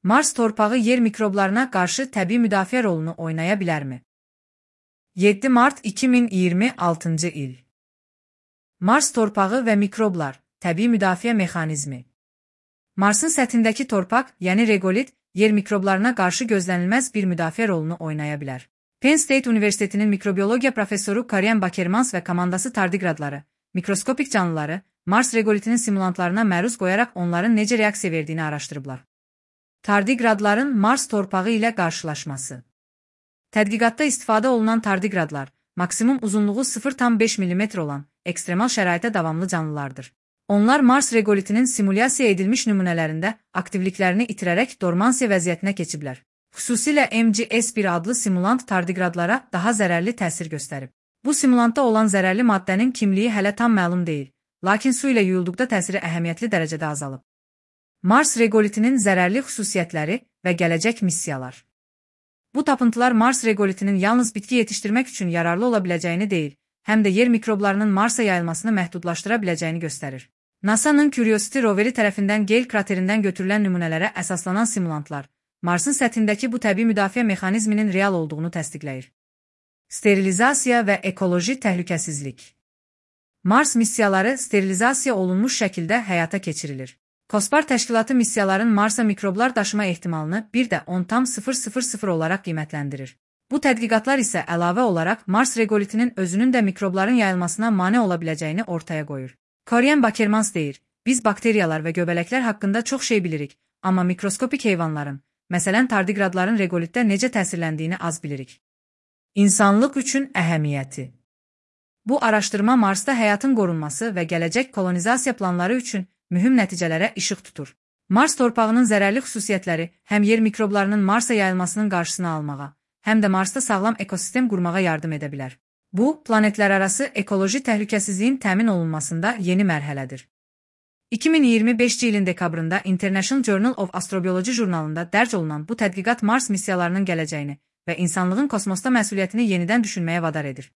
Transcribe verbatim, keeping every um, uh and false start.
Mars torpağı yer mikroblarına qarşı təbii müdafiə rolunu oynaya bilərmi? yeddi mart iki min iyirmi altıncı il. Mars torpağı və mikroblar, təbii müdafiə mexanizmi. Marsın səthindəki torpaq, yəni regolit, yer mikroblarına qarşı gözlənilməz bir müdafiə rolunu oynaya bilər. Penn State Universitetinin mikrobiologiya professoru Karen Bakermans və komandası tardigradları, mikroskopik canlıları, Mars regolitinin simulantlarına məruz qoyaraq onların necə reaksiya verdiyini araşdırıblar. Tardigradların Mars torpağı ilə qarşılaşması. Tədqiqatda istifadə olunan tardigradlar, maksimum uzunluğu sıfır tam beş millimetr olan, ekstremal şəraitə davamlı canlılardır. Onlar Mars regolitinin simulyasiya edilmiş nümunələrində aktivliklərini itirərək dormansiya vəziyyətinə keçiblər. Xüsusilə M G S bir adlı simulant tardigradlara daha zərərli təsir göstərib. Bu simulantda olan zərərli maddənin kimliyi hələ tam məlum deyil, lakin su ilə yuyulduqda təsiri əhəmiyyətli dərəcədə azalıb. Mars regolitinin zərərli xüsusiyyətləri və gələcək missiyalar. Bu tapıntılar Mars regolitinin yalnız bitki yetişdirmək üçün yararlı ola biləcəyini deyil, həm də yer mikroblarının Marsa yayılmasını məhdudlaşdıra biləcəyini göstərir. NASA'nın Curiosity roveri tərəfindən Gale kraterindən götürülən nümunələrə əsaslanan simulantlar, Marsın səthindəki bu təbii müdafiə mexanizminin real olduğunu təsdiqləyir. Sterilizasiya və ekoloji təhlükəsizlik. Mars missiyaları sterilizasiya olunmuş şəkildə həyata keçirilir. COSPAR təşkilatı missiyaların Marsa mikroblar daşıma ehtimalını bir də on tam sıfır sıfır sıfır olaraq qiymətləndirir. Bu tədqiqatlar isə əlavə olaraq Mars regolitinin özünün də mikrobların yayılmasına mane ola biləcəyini ortaya qoyur. Karen Bakermans deyir, biz bakteriyalar və göbələklər haqqında çox şey bilirik, amma mikroskopik heyvanların, məsələn tardigradların regolitdə necə təsirləndiyini az bilirik. İnsanlıq üçün əhəmiyyəti. Bu araşdırma Marsda həyatın qorunması və gələcək kolonizasiya planları üçün mühüm nəticələrə işıq tutur. Mars torpağının zərərli xüsusiyyətləri həm yer mikroblarının Marsa yayılmasının qarşısını almağa, həm də Marsda sağlam ekosistem qurmağa yardım edə bilər. Bu, planetlərarası ekoloji təhlükəsizliyin təmin olunmasında yeni mərhələdir. iki min iyirmi beşinci ilin dekabrında International Journal of Astrobiology jurnalında dərc olunan bu tədqiqat Mars missiyalarının gələcəyini və insanlığın kosmosda məsuliyyətini yenidən düşünməyə vadar edir.